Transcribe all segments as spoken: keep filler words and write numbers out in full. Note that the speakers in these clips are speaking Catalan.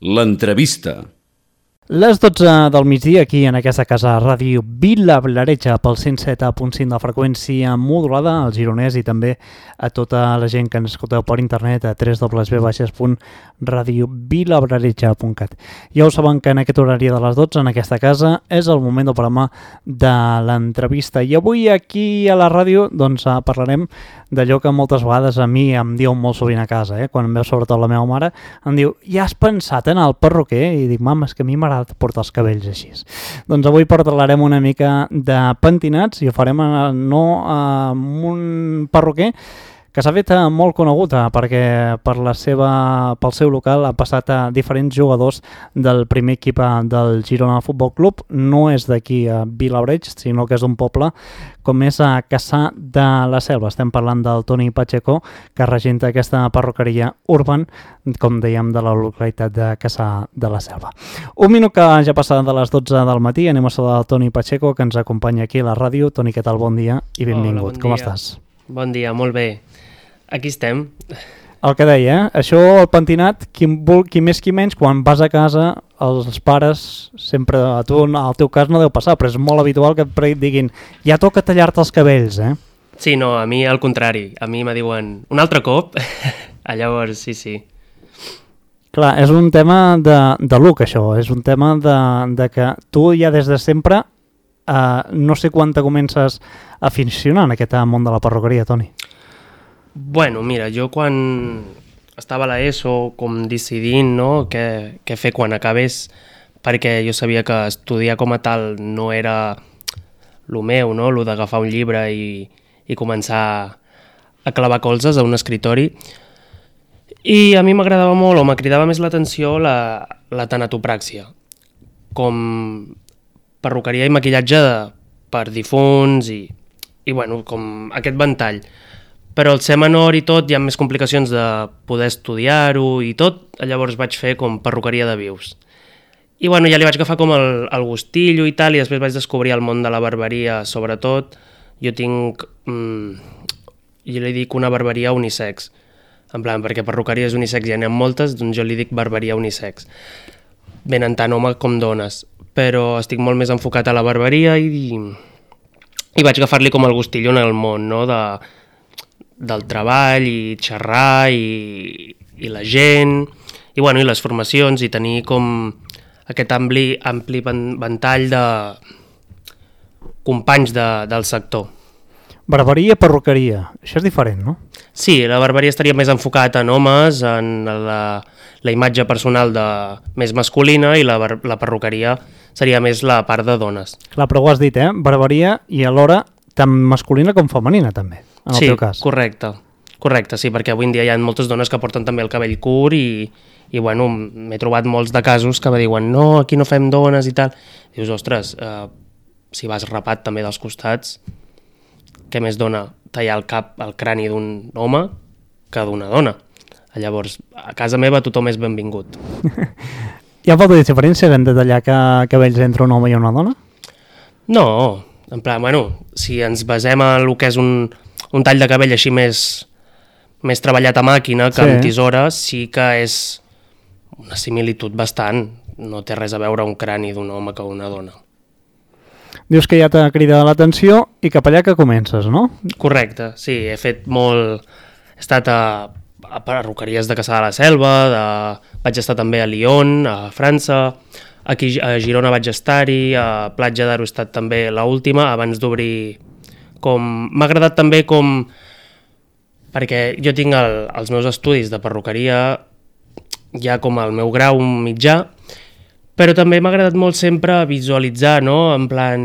L'entrevista. Les dotze del migdia aquí en aquesta casa ràdio Vilablareix pel cent set punt cinc de freqüència modulada al Gironès i també a tota la gent que ens escolteu per internet a w w w punt radio vilablareix punt cat. Ja ho saben que en aquest horari de les dotze en aquesta casa és el moment del programa de l'entrevista i avui aquí a la ràdio doncs parlarem d'allò que moltes vegades a mi em diuen molt sovint a casa, eh? Quan em veu sobretot la meva mare em diu, ja has pensat en el perruquer? I dic, mama, és que a mi m'agrada portar els cabells així. Doncs avui parlarem una mica de pentinats i ho farem no amb un perruquer que s'ha fet molt conegut perquè per la seva, pel seu local ha passat a diferents jugadors del primer equip del Girona Futbol Club. No és d'aquí a Vilablareix, sinó que és d'un poble com és a Cassà de la Selva. Estem parlant del Toni Pacheco, que regenta aquesta perruqueria Urban, com dèiem, de la localitat de Cassà de la Selva. Un minut que ja passa de les dotze del matí, anem a saludar el Toni Pacheco, que ens acompanya aquí a la ràdio. Toni, què tal? Bon dia i benvingut. Hola, bon com dia. estàs? Bon dia, molt bé. Aquí estem. El que deia, eh? Això, el pentinat, qui, vol, qui més qui menys, quan vas a casa, els pares, sempre, a tu, al teu cas no deu passar, però és molt habitual que et diguin, ja toca tallar-te els cabells, eh? Sí, no, a mi al contrari. A mi me diuen un altre cop. Llavors, sí, sí. Clar, és un tema de, de look, això. És un tema de, de que tu ja des de sempre, eh, no sé quan te comences a aficionar en aquest món de la perruqueria, Toni. Bueno, mira, jo quan estava a l'ESO com decidint no, què, què fer quan acabés, perquè jo sabia que estudiar com a tal no era lo meu, no? Lo d'agafar un llibre i, i començar a clavar colzes a un escritori. I a mi m'agradava molt, o m'acridava més l'atenció, la, la tanatopràxia, com perruqueria i maquillatge de, per difunts i, i bueno, com aquest ventall. Però al ser menor i tot hi ha més complicacions de poder estudiar-ho i tot, llavors vaig fer com perruqueria de vius. I bueno, ja li vaig agafar com el, el gustillo i tal, i després vaig descobrir el món de la barberia, sobretot. Jo tinc, mmm, jo li dic una barberia unisex, en plan, perquè perruqueries unisex ja n'hi ha moltes, doncs jo li dic barberia unisex. Venen tant home com dones, però estic molt més enfocat a la barberia i, i vaig agafar-li com el gustillo en el món, no?, de... del treball i xerrar i, i la gent i, bueno, i les formacions i tenir com aquest ampli, ampli ventall de companys de, del sector. Barberia, perruqueria, això és diferent, no? Sí, la barberia estaria més enfocat en homes, en la, la imatge personal de, més masculina i la, la perruqueria seria més la part de dones. Clar, però ho has dit, eh? Barberia i alhora tant masculina com femenina també. En el sí, teu cas. correcte, correcte, sí, perquè avui en dia hi ha moltes dones que porten també el cabell curt i, i bueno, m'he trobat molts de casos que me diuen no, aquí no fem dones i tal. Dius, ostres, eh, si vas rapat també dels costats, què més dona tallar el cap, el crani d'un home que d'una dona? Llavors, a casa meva tothom és benvingut. Hi ha molta diferència de tallar cabells entre un home i una dona? No, en plan, bueno, si ens basem en el que és un, un tall de cabell així més, més treballat a màquina que sí. Amb tisora, sí que és una similitud bastant. No té res a veure un crani d'un home que una dona. Dius que ja t'ha cridat l'atenció i cap allà que comences, no? Correcte, sí, he fet molt... He estat a, a perruqueries de Cassà de la Selva, de... vaig estar també a Lyon, a França... Aquí a Girona vaig estar-hi, a Platja d'Aro he estat també l'última, abans d'obrir com... M'ha agradat també com... Perquè jo tinc el, els meus estudis de perruqueria, ja com el meu grau mitjà, però també m'ha agradat molt sempre visualitzar, no? En plan,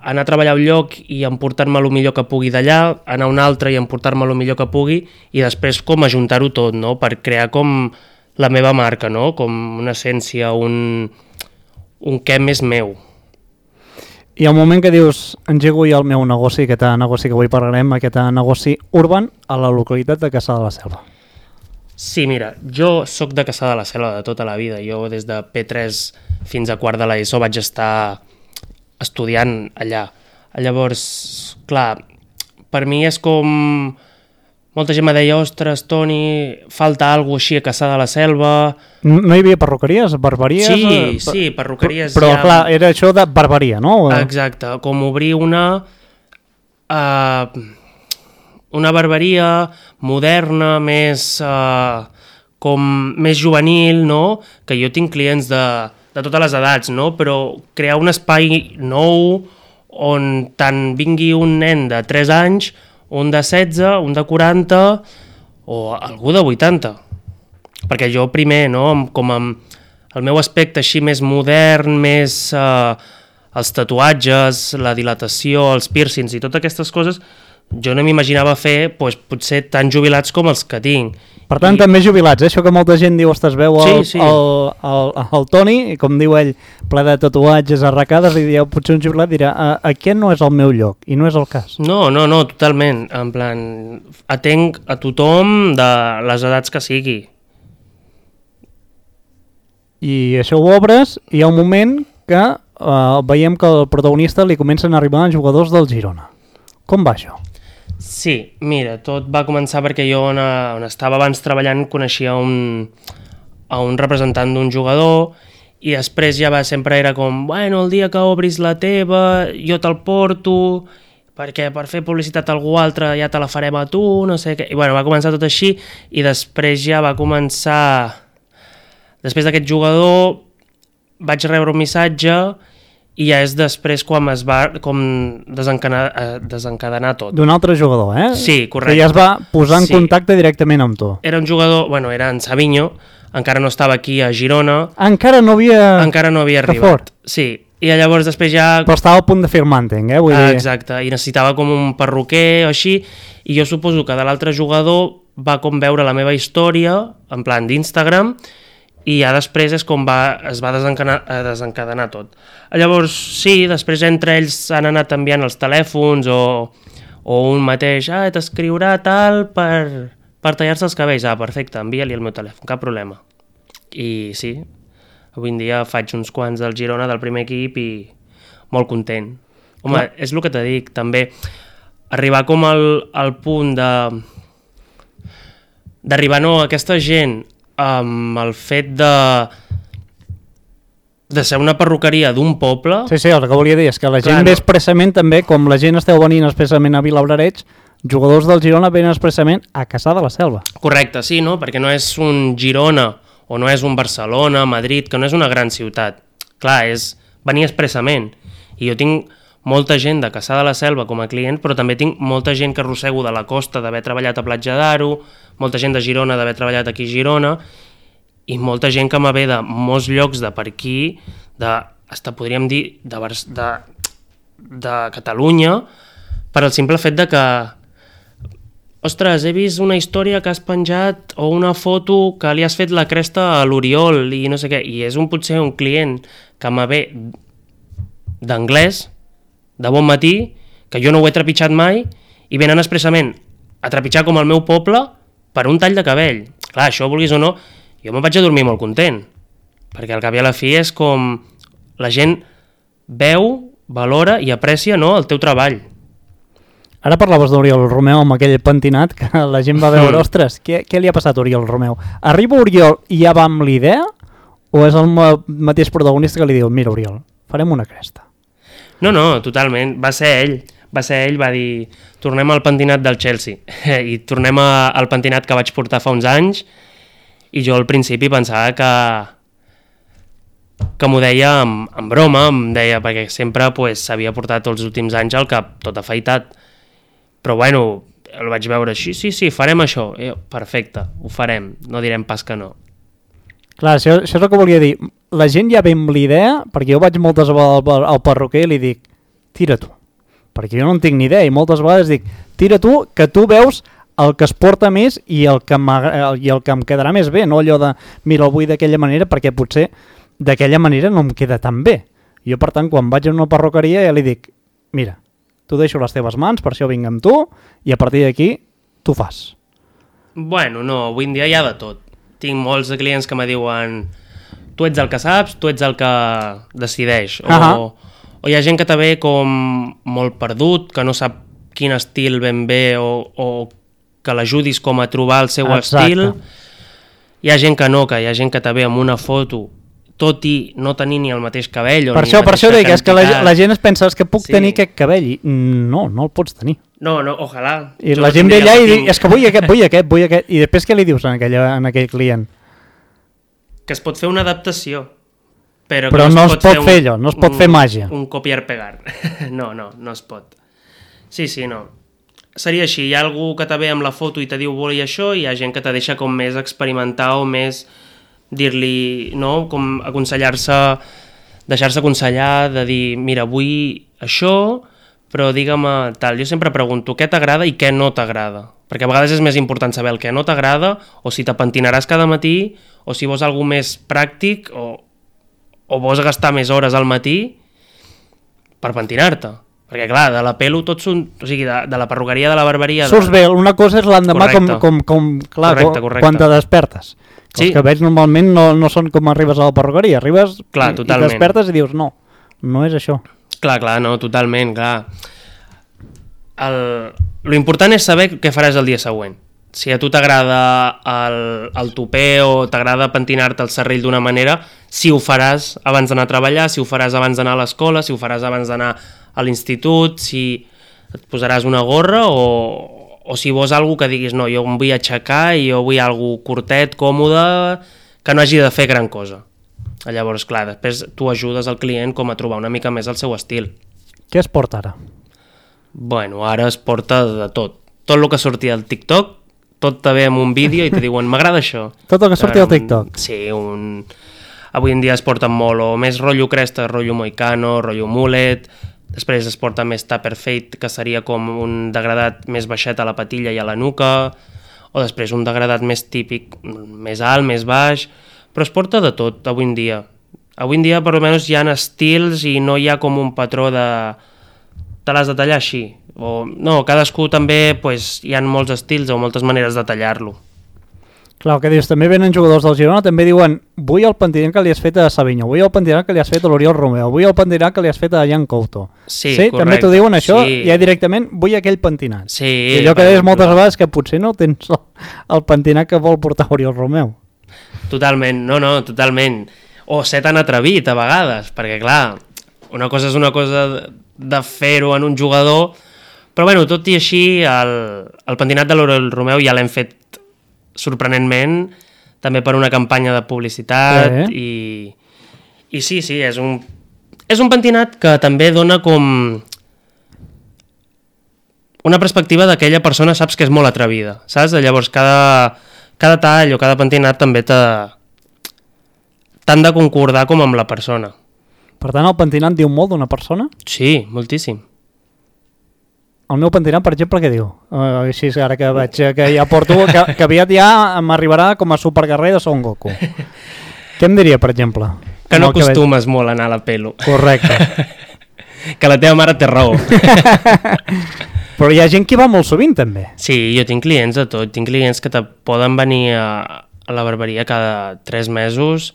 anar a treballar a un lloc i emportar-me el millor que pugui d'allà, anar a un altre i emportar-me el millor que pugui, i després com ajuntar-ho tot, no? Per crear com la meva marca, no? Com una essència, un... un què més meu. I al moment que dius, engego ja el meu negoci, aquest negoci que avui parlarem, aquest negoci Urban, a la localitat de Cassà de la Selva. Sí, mira, jo sóc de Cassà de la Selva de tota la vida. Jo des de P tres fins a quart de l'ESO vaig estar estudiant allà. Llavors, clar, per mi és com molta gent me deia, ostres, Toni, falta alguna cosa així a Caçà de la Selva... No, no hi havia perruqueries, barberies? Sí, eh, sí, perruqueries... Però, ja... clar, era això de barberia, no? Exacte, com obrir una... Uh, una barberia moderna, més... Uh, com més juvenil, no? Que jo tinc clients de, de totes les edats, no? Però crear un espai nou on tant vingui un nen de tres anys, un de setze, un de quaranta o algú de vuitanta. Perquè jo primer, no? Com amb el meu aspecte així més modern, més eh, els tatuatges, la dilatació, els piercings i totes aquestes coses, jo no m'imaginava fer doncs, potser tan jubilats com els que tinc. Per tant, I... també jubilats, eh? Això que molta gent diu, ostres, veu el, sí, sí. el, el, el Toni, i com diu ell, ple de tatuatges, arracades, i diu, potser un jubilat dirà, aquest no és el meu lloc, i no és el cas. No, no, no, totalment. En plan, atenc a tothom de les edats que sigui. I això ho obres, i hi ha un moment que eh, veiem que al protagonista li comencen a arribar jugadors del Girona. Com va això? Sí, mira, tot va començar perquè jo on, on estava abans treballant coneixia un, a un representant d'un jugador i després ja va, sempre era com, bueno, el dia que obris la teva jo te'l porto perquè per fer publicitat a algú altre ja te la farem a tu, no sé què. I bueno, va començar tot així i després ja va començar... Després d'aquest jugador vaig rebre un missatge i ja és després quan es va com desencadenar, desencadenar tot. D'un altre jugador, eh? Sí, correcte. Que ja es va posar en sí. contacte directament amb tu. Era un jugador, bueno, era en Savinho, encara no estava aquí a Girona. Encara no havia... Encara no havia arribat. Fort. Sí, i llavors després ja... Però estava a punt de firmar, entenc, eh? Vull ah, dir... Exacte, i necessitava com un perruquer o així, i jo suposo que de l'altre jugador va com veure la meva història, en plan d'Instagram, i ja després és com va, es va desencadenar, desencadenar tot. Llavors, sí, després entre ells han anat enviant els telèfons o, o un mateix, ah, t'escriurà tal per, per tallar-se els cabells. Ah, perfecte, envia-li el meu telèfon, cap problema. I sí, avui en dia faig uns quants del Girona, del primer equip, i molt content. Home, ah. és el que t'he dit, també, arribar com al, al punt de... d'arribar, no, aquesta gent... amb el fet de de ser una perruqueria d'un poble... Sí, sí, el que volia dir és que la gent Clar, ve expressament no. també, com la gent esteu venint expressament a Vilablareix, jugadors del Girona venen expressament a Caçà de la Selva. Correcte, sí, no? Perquè no és un Girona o no és un Barcelona, Madrid, que no és una gran ciutat. Clar, és venir expressament. I jo tinc molta gent de Caçà de la Selva com a client, però també tinc molta gent que arrossego de la costa d'haver treballat a Platja d'Aro, molta gent de Girona d'haver treballat aquí a Girona, i molta gent que me ve de molts llocs de per aquí, de, hasta podríem dir, de, de, de Catalunya, per al simple fet de que ostres, he vist una història que has penjat o una foto que li has fet la cresta a l'Oriol i no sé què, i és un potser un client que me ve d'anglès, de bon matí, que jo no ho he trepitjat mai, i venen expressament a trepitjar com el meu poble per un tall de cabell. Clar, això, vulguis o no, jo me'n vaig a dormir molt content, perquè al cap i a la fi és com la gent veu, valora i aprecia, no, el teu treball. Ara parlaves d'Oriol Romeu amb aquell pentinat que la gent va veure, mm. ostres, què, què li ha passat a Oriol Romeu? Arriba Oriol i ja va amb l'idea, o és el mateix protagonista que li diu, mira Oriol, farem una cresta? No, no, totalment. Va ser ell. Va ser ell, va dir, tornem al pentinat del Chelsea. I tornem a, al pentinat que vaig portar fa uns anys, i jo al principi pensava que que m'ho deia en, en broma, em deia, perquè sempre pues, s'havia portat els últims anys al cap tot afaitat. Però bueno, el vaig veure així, sí, sí, farem això. I jo, perfecte, ho farem, no direm pas que no. Clar, això, això és el que volia dir. La gent ja ve amb l'idea, perquè jo vaig moltes vegades al, al perruquer i li dic, tira tu, perquè jo no en tinc ni idea, i moltes vegades dic, tira tu, que tu veus el que es porta més i el que, i el que em quedarà més bé, no allò de, mira, el vull d'aquella manera, perquè potser d'aquella manera no em queda tan bé. Jo, per tant, quan vaig a una perruqueria ja li dic, mira, tu deixo les teves mans, per això vinc amb tu, i a partir d'aquí tu fas. Bueno, no, avui en dia hi ha de tot. Tinc molts de clients que me diuen tu ets el que saps, tu ets el que decideix. O, uh-huh. o hi ha gent que també com molt perdut, que no sap quin estil ben bé o, o que l'ajudis com a trobar el seu Exacte. estil. Hi ha gent que no, que hi ha gent que te ve amb una foto tot i no tenir ni el mateix cabell o Per ni això, la per això mateixa dic, és que la, quantitat. la gent es pensa que puc Sí. tenir aquest cabell i no, no el pots tenir. No, no, ojalà. I Jo la no gent ve tindria allà i el que diu, tinc. és que vull aquest, vull aquest, vull aquest. I després què li dius en, aquella, en aquell client? Que es pot fer una adaptació. Però, Però que no es pot un- fer allò, no es pot un, fer màgia. Un copiar-pegar. No, no, no es pot. Sí, sí, no. Seria així, hi ha algú que te ve amb la foto i te diu vull això, i hi ha gent que te deixa com més experimentar o més dir-li, no?, com aconsellar-se, deixar-se aconsellar, de dir, mira, vull això, però digue'm tal. Jo sempre pregunto què t'agrada i què no t'agrada, perquè a vegades és més important saber el que no t'agrada, o si te pentinaràs cada matí, o si vols alguna més pràctic, o, o vols gastar més hores al matí per pentinar-te. Perquè, clar, de la pelo tots són... O sigui, de, de la perruqueria, de la barberia... De... Surts bé, una cosa és l'endemà com, Correcte. com, com, clar, Correcte, com, correcte. quan te despertes. Sí. Els cabells normalment no, no són com arribes a la perruqueria, arribes Clar, i, i totalment. despertes i dius no, no és això. Clar, clar, no, totalment, clar. El... Lo important és saber què faràs el dia següent. Si a tu t'agrada el, el tupé o t'agrada pentinar-te el serrell d'una manera, si ho faràs abans d'anar a treballar, si ho faràs abans d'anar a l'escola, si ho faràs abans d'anar a l'institut, si et posaràs una gorra o, o si vols algú que diguis no, jo em vull aixecar i jo vull algú curtet, còmode, que no hagi de fer gran cosa. Llavors, clar, després tu ajudes al client com a trobar una mica més el seu estil. Què es porta ara? Bueno, ara es porta de tot. Tot el que sortia al TikTok, tot te ve amb un vídeo i te diuen m'agrada això. Tot el que sortia al Ara, un- TikTok. Sí, un... avui en dia es porta molt o més rotllo cresta, rotllo moicano, rotllo mullet, després es porta més tupper fade, que seria com un degradat més baixet a la patilla i a la nuca, o després un degradat més típic, més alt, més baix, però es porta de tot avui en dia. Avui en dia, per almenys, hi ha estils i no hi ha com un patró de... te l'has de tallar així. O, no, cadascú també, pues, hi ha molts estils o moltes maneres de tallar-lo. Clar, el que dius, també venen jugadors del Girona, també diuen vull el pentinat que li has fet a Savinho, vull el pentinat que li has fet a l'Oriol Romeu, vull el pentinat que li has fet a Jan Couto. Sí, sí correcte. també t'ho diuen això, Sí. ja directament vull aquell pentinat. Sí, I allò que per deies exemple. moltes vegades que potser no tens el, el pentinat que vol portar Oriol Romeu. Totalment, no, no, totalment. O ser tan atrevit a vegades, perquè clar, una cosa és una cosa de, de fer-ho en un jugador, però bueno, tot i així, el, el pentinat de l'Oriol Romeu ja l'hem fet sorprenentment, també per una campanya de publicitat, Eh? i, i sí, sí, és un, és un pentinat que també dona com una perspectiva d'aquella persona, saps que és molt atrevida, saps? Llavors cada, cada tall o cada pentinat també t'ha t'han de concordar com amb la persona. Per tant, el pentinat diu molt d'una persona. Sí, moltíssim. El meu pentinat, per exemple, què diu? Uh, així és ara que veig eh, que ja porto, que, que aviat ja m'arribarà com a superguerrer de Son Goku. Què em diria, per exemple? Que no Amb el cabell? acostumes molt a anar a la pelo. Correcte. Que la teva mare té raó. Però hi ha gent que va molt sovint, també. Sí, jo tinc clients de tot. Tinc clients que te poden venir a, a la barberia cada tres mesos,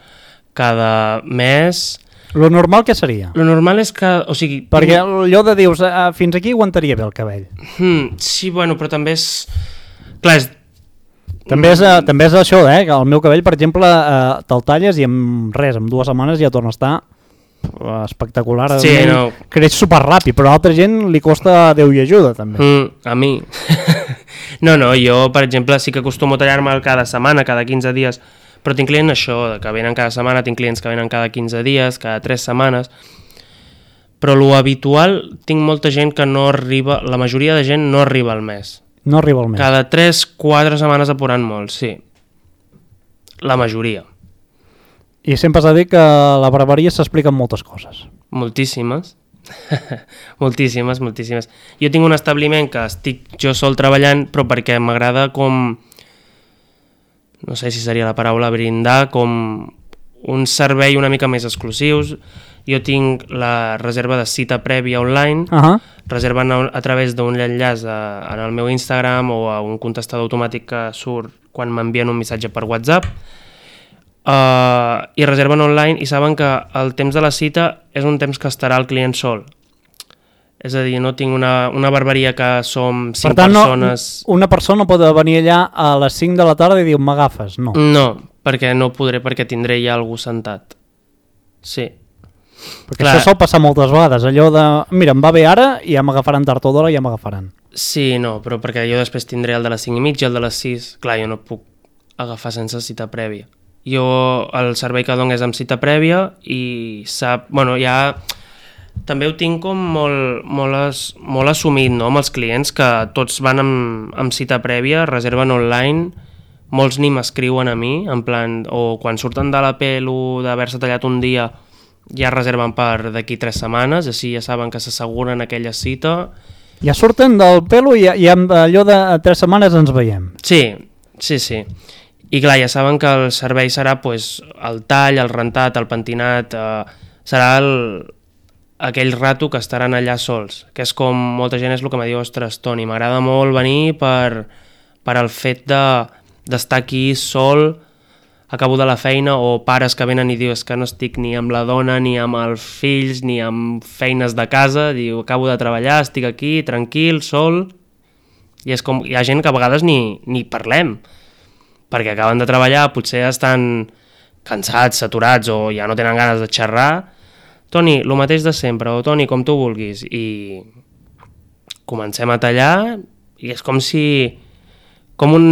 cada mes. Lo normal què seria? Lo normal és que... O sigui, Perquè allò de dius, uh, fins aquí aguantaria bé el cabell. Hmm, sí, bueno, però també és... Clar, és... També és, uh, també és això, eh? Que el meu cabell, per exemple, uh, te'l talles i en res, en dues setmanes ja torna a estar uh, espectacular. Sí, A mi no. Creix superràpid, però a altra gent li costa Déu i ajuda, també. Mm, a mi. No, no, jo, per exemple, sí que acostumo a tallar-me cada setmana, cada quinze dies, però tinc clients això, que venen cada setmana, tinc clients que venen cada quinze dies, cada tres setmanes, però lo habitual, tinc molta gent que no arriba, la majoria de gent no arriba al mes. No arriba al mes. Cada tres quatre setmanes apurant molt, sí. La majoria. I sempre s'ha dit que a la barberia s'expliquen moltes coses. Moltíssimes. moltíssimes, moltíssimes. Jo tinc un establiment que estic jo sol treballant, però perquè m'agrada com... no sé si seria la paraula, brindar com un servei una mica més exclusius. Jo tinc la reserva de cita prèvia online, Uh -huh. reserven a, a través d'un enllaç a, en el meu Instagram o a un contestador automàtic que surt quan m'envien un missatge per WhatsApp, uh, i reserven online i saben que el temps de la cita és un temps que estarà el client sol. És a dir, no tinc una, una barberia que som cinc per tant, persones... No, una persona pot venir allà a les cinc de la tarda i dir, m'agafes? No. No, perquè no podré, perquè tindré ja algú sentat. Sí. Perquè clar, això sol passar moltes vegades, allò de, mira, em va bé ara i ja m'agafaran tard o d'hora i ja m'agafaran. Sí, no, però perquè jo després tindré el de les cinc i mitja, el de les sis, clar, jo no puc agafar sense cita prèvia. Jo, el servei que dono és amb cita prèvia i sap, bueno, ja també ho tinc com molt, molt, as, molt assumit, no?, amb els clients, que tots van amb, amb cita prèvia, reserven online, molts ni m'escriuen a mi, en plan, o quan surten de la pelo d'haver-se tallat un dia, ja reserven per d'aquí tres setmanes, així ja saben que s'asseguren aquella cita. Ja surten del pelo i, i amb allò de tres setmanes ens veiem. Sí, sí, sí. I clar, ja saben que el servei serà pues, el tall, el rentat, el pentinat, eh, serà el, aquell rato que estaran allà sols, que és com molta gent és el que me diu, ostres, Toni, m'agrada molt venir per, per el fet de, d'estar aquí sol, acabo de la feina, o pares que venen i dius que no estic ni amb la dona, ni amb els fills, ni amb feines de casa, diu, acabo de treballar, estic aquí, tranquil, sol, i és com, hi ha gent que a vegades ni, ni parlem, perquè acaben de treballar, potser estan cansats, saturats, o ja no tenen ganes de xerrar. Toni, el mateix de sempre, o Toni, com tu vulguis, i comencem a tallar, i és com si, com un...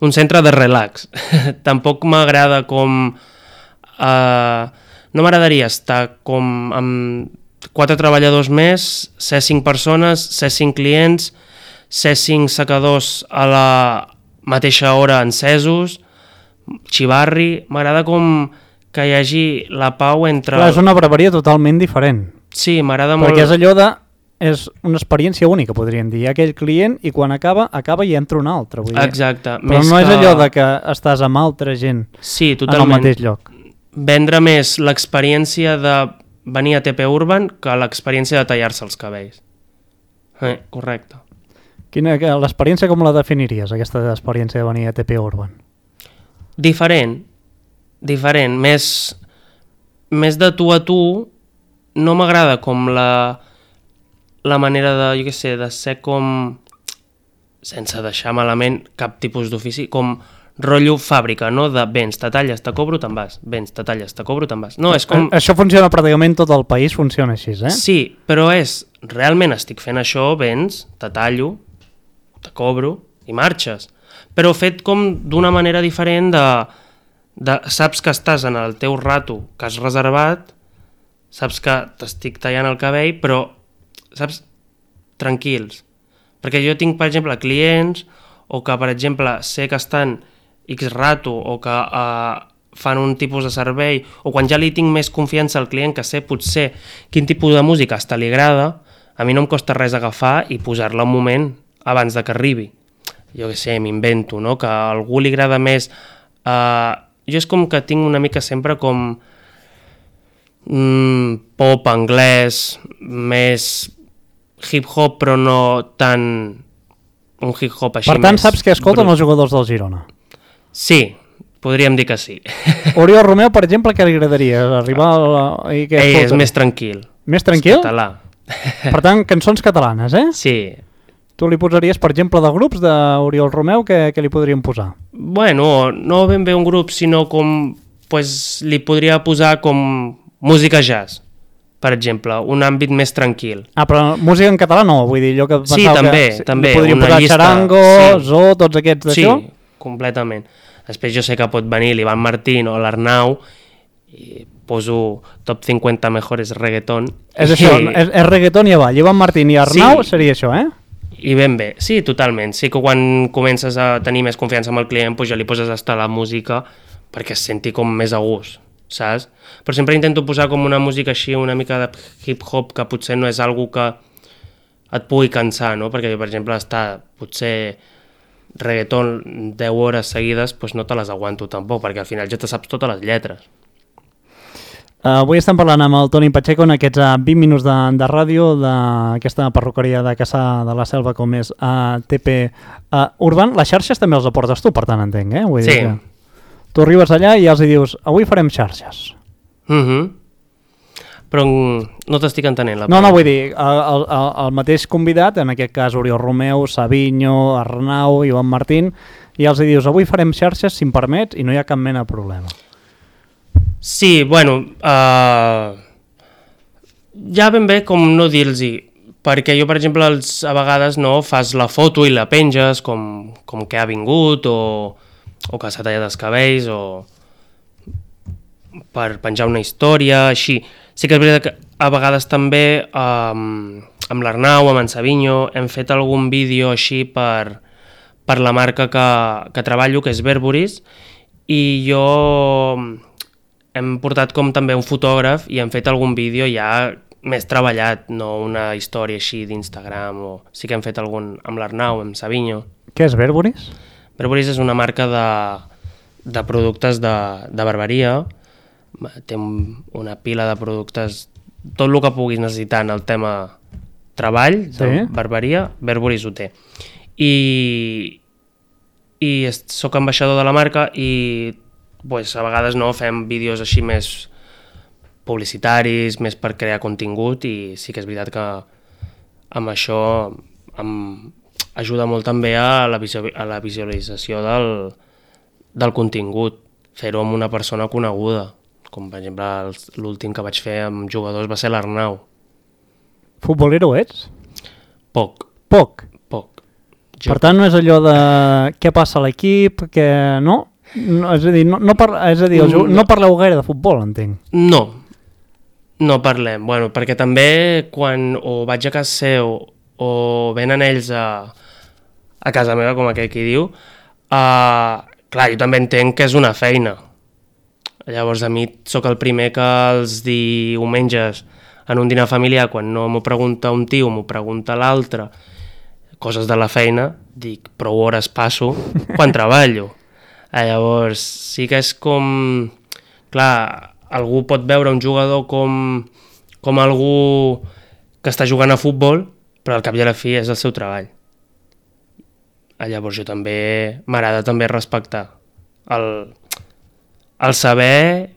un centre de relax. Tampoc m'agrada com... Uh, no m'agradaria estar com amb quatre treballadors més, ser cinc persones, ser cinc clients, ser cinc secadors a la mateixa hora encesos, xivarri... M'agrada com que hi hagi la pau entre... Clar, és una barberia totalment diferent. Sí, m'agrada molt... Perquè és allò de... és una experiència única, podríem dir. Hi ha aquell client i quan acaba, acaba i entra un altre. Vull dir. Exacte. Però més no que... és allò de que estàs amb altra gent sí, en el mateix lloc. Vendre més l'experiència de venir a T P Urban que l'experiència de tallar-se els cabells. Eh, correcte. Quina, l'experiència com la definiries, aquesta experiència de venir a T P Urban? Diferent. Diferent. Més, més de tu a tu, no m'agrada com la... la manera de, jo què sé, de ser com, sense deixar malament cap tipus d'ofici, com rotllo fàbrica, no? De vens, te talles, te cobro, te'n vas. Vens, te talles, te cobro, te'n vas. No, és com... Això funciona pràcticament tot el país, funciona així, eh? Sí, però és, realment estic fent això, vens, te tallo, te cobro i marxes. Però fet com d'una manera diferent de, de... Saps que estàs en el teu rato que has reservat, saps que t'estic tallant el cabell, però saps, tranquils, perquè jo tinc, per exemple, clients o que, per exemple, sé que estan X rato o que uh, fan un tipus de servei, o quan ja li tinc més confiança al client, que sé potser quin tipus de música hasta li agrada, a mi no em costa res agafar i posar-la un moment abans de que arribi. Jo què sé, m'invento, no? Que a algú li agrada més... Uh, jo és com que tinc una mica sempre com mm, pop anglès, més... hip-hop, però no tan un hip-hop així més... Per tant, saps que escolten brut. Els jugadors del Girona? Sí, podríem dir que sí. Oriol Romeu, per exemple, què li agradaria? Arribar a la... I què Ell és més tranquil. Més tranquil? És català. Per tant, cançons catalanes, eh? Sí. Tu li posaries, per exemple, de grups d'Oriol Romeu, què, què li podríem posar? Bueno, no ben bé un grup, sinó com... Pues, li podria posar com música jazz, per exemple, un àmbit més tranquil. Ah, però música en català no, vull dir, jo que pensava sí, també, que també, li podríem una posar llista, Charango, sí. Zo, tots aquests d'això? Sí, completament. Després jo sé que pot venir l'Ivan Martín o l'Arnau i poso top cinquanta mejores reggaeton. És això, I... és, és reggaeton i avall. Ivan Martín i Arnau sí. Seria això, eh? I ben bé, sí, totalment. Sí que quan comences a tenir més confiança amb el client, doncs ja li poses hasta la música perquè es senti com més a gust, saps? Però sempre intento posar com una música així, una mica de hip-hop, que potser no és algo que et pugui cansar, no? Perquè, per exemple, estar potser reggaeton deu hores seguides, doncs no te les aguanto tampoc, perquè al final ja te saps totes les lletres. Uh, avui estem parlant amb el Toni Pacheco en aquests uh, vint minuts de, de ràdio d'aquesta perruqueria de Cassà de la Selva com és uh, T P uh, Urban. Les xarxes també els aportes tu, per tant, entenc, eh? Vull sí. dir que tu arribes allà i ja els dius, avui farem xarxes. Uh-huh. però no t'estic entenent la No, no, vull dir, el, el, el mateix convidat, en aquest cas Oriol Romeu, Savinho, Arnau, Ivan Martín, i els dius, avui farem xarxes, si em permets, i no hi ha cap mena de problema. Sí, bueno, uh, ja ben bé com no dir-los-hi, perquè jo, per exemple, els, a vegades no fas la foto i la penges com, com que ha vingut, o, o que s'ha tallat els cabells, o per penjar una història, així. Sí que és veritat que a vegades també um, amb l'Arnau, amb en Savinho, hem fet algun vídeo així per, per la marca que, que treballo, que és Verburis, i jo hem portat com també un fotògraf i hem fet algun vídeo ja més treballat, no una història així d'Instagram, o sí que hem fet algun amb l'Arnau, amb Savinho. Què és Verburis? Verburis és una marca de, de productes de, de barberia, té una pila de productes, tot el que puguis necessitar en el tema treball, sí. De barberia, Verburis ho té. I, i soc ambaixador de la marca i pues, a vegades no fem vídeos així més publicitaris, més per crear contingut, i sí que és veritat que amb això em ajuda molt també a la, a la visualització del, del contingut, fer-ho amb una persona coneguda, com per exemple l'últim que vaig fer amb jugadors va ser l'Arnau. Futbolero ets? Poc. Poc? Poc. Jo... Per tant, no és allò de què passa a l'equip, que no? no és a dir, no, no, par... és a dir no, no parleu gaire de futbol, entenc. No, no parlem. Bueno, perquè també quan o vaig a casa seu o venen ells a, a casa meva, com aquell qui diu, uh, clar, jo també entenc que és una feina. Llavors a mi sóc el primer que els diumenges en un dinar familiar, quan no m'ho pregunta un tio, m'ho pregunta l'altre, coses de la feina, dic, prou hores passo quan treballo. Llavors sí que és com... Clar, algú pot veure un jugador com, com algú que està jugant a futbol, però al cap i a la fi és el seu treball. Llavors jo també m'agrada també respectar el... el saber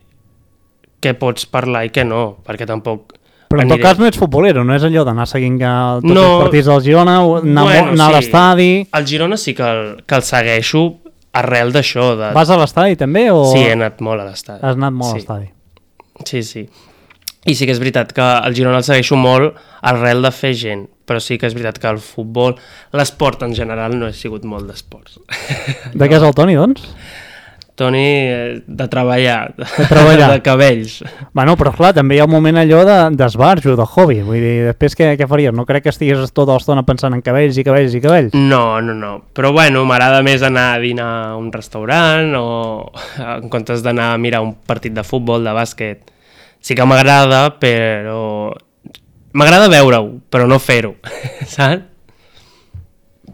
què pots parlar i què no, perquè tampoc... Però en aniré... tot cas no ets futbolero, no és allò d'anar seguint tots no, els partits del Girona, anar, bueno, anar sí. a l'estadi... El Girona sí que el, que el segueixo arrel d'això. De... Vas a l'estadi també? O... Sí, he anat molt a l'estadi. Has anat molt sí. a l'estadi. Sí, sí. I sí que és veritat que el Girona el segueixo molt arrel de fer gent, però sí que és veritat que el futbol, l'esport en general, no he sigut molt d'esports. De no. Què és el Toni, doncs? Toni, de treballar, de, treballar. de cabells. Bueno, però clar, també hi ha un moment allò d'esbarjo, de, de hobby. Vull dir, després què, què faries? No crec que estigués tota l'estona pensant en cabells i cabells i cabells. No, no, no. Però bueno, m'agrada més anar a dinar a un restaurant o en comptes d'anar a mirar un partit de futbol, de bàsquet. Sí que m'agrada, però... M'agrada veure-ho, però no fer-ho, saps?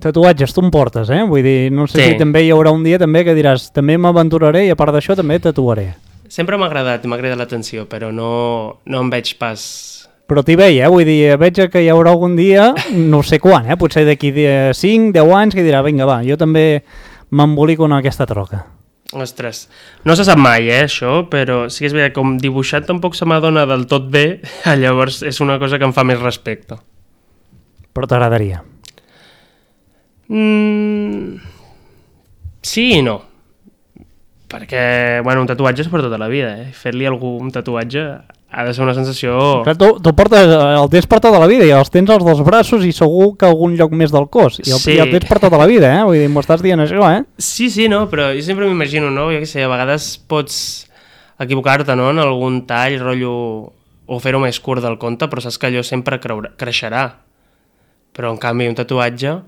Tatuatges tu em portes, eh? Vull dir, no sé sí. si també hi haurà un dia també que diràs també m'aventuraré i a part d'això també tatuaré. Sempre m'ha agradat, m'ha agradat l'atenció, però no, no em veig pas... Però t'hi veia, eh? Vull dir, veig que hi haurà algun dia, no sé quan, eh? Potser d'aquí cinc, deu anys, que dirà, vinga, va, jo també m'embolico en aquesta troca. Ostres, no se sap mai, eh, això, però sí que és veritat, com dibuixat tampoc se m'adona del tot bé, llavors és una cosa que em fa més respecte. Però t'agradaria? Mm, sí i no. Perquè, bueno, un tatuatge és per tota la vida, eh? Fer-li algú un tatuatge ha de ser una sensació... Clar, tu, tu portes, el tens per tota la vida i els tens als dos braços i segur que algun lloc més del cos. I el, sí. i el tens per tota la vida, eh? Vull dir, m'ho estàs dient això, eh? Sí, sí, no, però jo sempre m'imagino, no? Jo què sé, a vegades pots equivocar-te, no?, en algun tall, rotllo, o fer-ho més curt del compte, però saps que allò sempre creurà, creixerà. Però, en canvi, un tatuatge,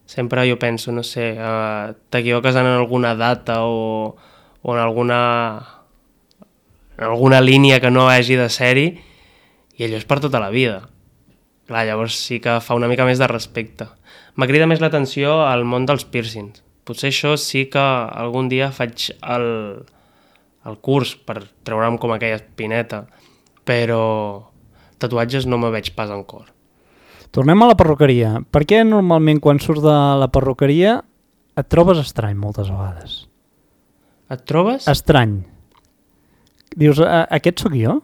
sempre jo penso, no sé, uh, t'equivoques en alguna data o, o en alguna... en alguna línia que no hagi de ser-hi, i allò és per tota la vida. Clar, llavors sí que fa una mica més de respecte. M'ha cridat més l'atenció al món dels piercings. Potser això sí que algun dia faig el, el curs per treure'm com aquella espineta, però tatuatges no me veig pas en cor. Tornem a la perruqueria. Per què normalment quan surts de la perruqueria et trobes estrany moltes vegades? Et trobes? Estrany. Dius, aquest sóc jo?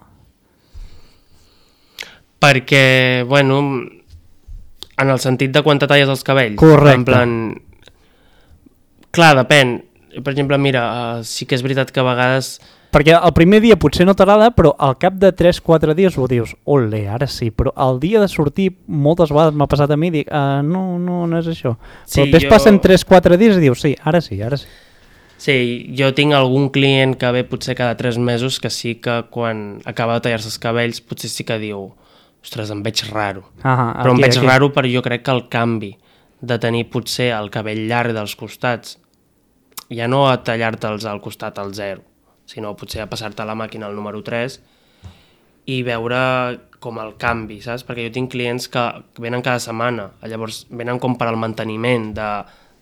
perquè, bueno, en el sentit de quan te talles els cabells. Correcte. En plan... Clar, depèn. Per exemple, mira, uh, sí que és veritat que a vegades... Perquè el primer dia potser no t'agrada, però al cap de tres quatre dies ho dius, ole, ara sí, però el dia de sortir moltes vegades m'ha passat a mi i dic, uh, no, no, no és això. Sí, però després jo... passen tres quatre dies i dius, sí, ara sí, ara sí. Sí, jo tinc algun client que ve potser cada tres mesos que sí que quan acaba de tallar-se els cabells potser sí que diu, ostres, em veig raro. Ah, però aquí, em veig aquí. raro perquè jo crec que el canvi de tenir potser el cabell llarg dels costats, ja no a tallar-te'ls al costat al zero, sinó potser a passar-te a la màquina al número tres i veure com el canvi, saps? Perquè jo tinc clients que venen cada setmana, llavors venen com per al manteniment de,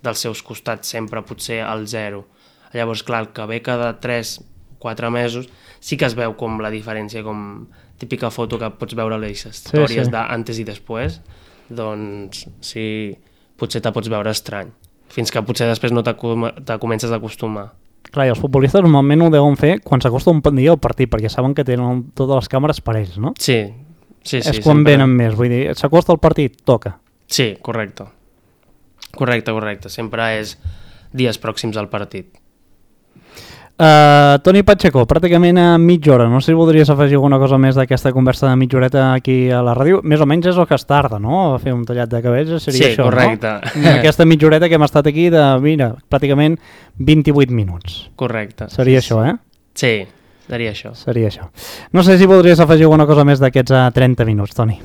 dels seus costats sempre potser al zero. Llavors, clar, el que ve cada tres quatre mesos sí que es veu com la diferència, com típica foto que pots veure a les històries sí, sí. d'antes i després, doncs sí, potser te pots veure estrany, fins que potser després no te, te comences a acostumar. Clar, i els futbolistes normalment ho deuen fer quan s'acosta un dia al partit, perquè saben que tenen totes les càmeres per ells, no? Sí, sí, sí. És quan sempre... venen més, vull dir, s'acosta el partit, toca. Sí, correcte. Correcte, correcte. Sempre és dies pròxims al partit. Uh, Toni Pacheco, pràcticament a mitja hora. No sé si voldries afegir alguna cosa més d'aquesta conversa de mitja horeta aquí a la ràdio. Més o menys és el que es tarda, no? A fer un tallat de cabells seria sí, això, correcte. No? Aquesta mitja horeta que hem estat aquí de, mira, pràcticament vint-i-vuit minuts. Correcte. Seria sí, això, eh? Sí, seria això. Seria això. No sé si voldries afegir alguna cosa més d'aquests uh, trenta minuts, Toni.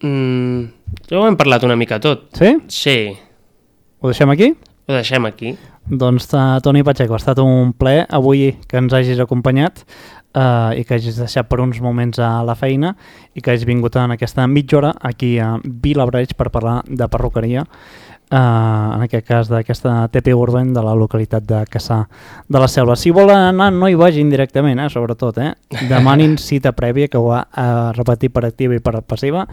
Mm, ja ho hem parlat una mica tot. Sí? Sí. Ho deixem aquí? Ho deixem aquí. Doncs uh, Toni Pacheco, ha estat un plaer avui que ens hagis acompanyat uh, i que hagis deixat per uns moments a la feina i que hagis vingut en aquesta mitja hora aquí a Vilablareix per parlar de perruqueria, uh, en aquest cas d'aquesta T P Urban de la localitat de Cassà de la Selva. Si volen anar, no hi vagin directament, eh, sobretot, eh? Demanin cita prèvia, que ho ha uh, repetit per activa i per passiva,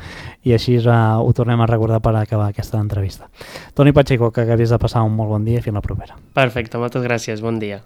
i així uh, ho tornem a recordar per acabar aquesta entrevista. Toni Pacheco, que acabis de passar un molt bon dia i fins la propera. Perfecte, moltes gràcies, bon dia.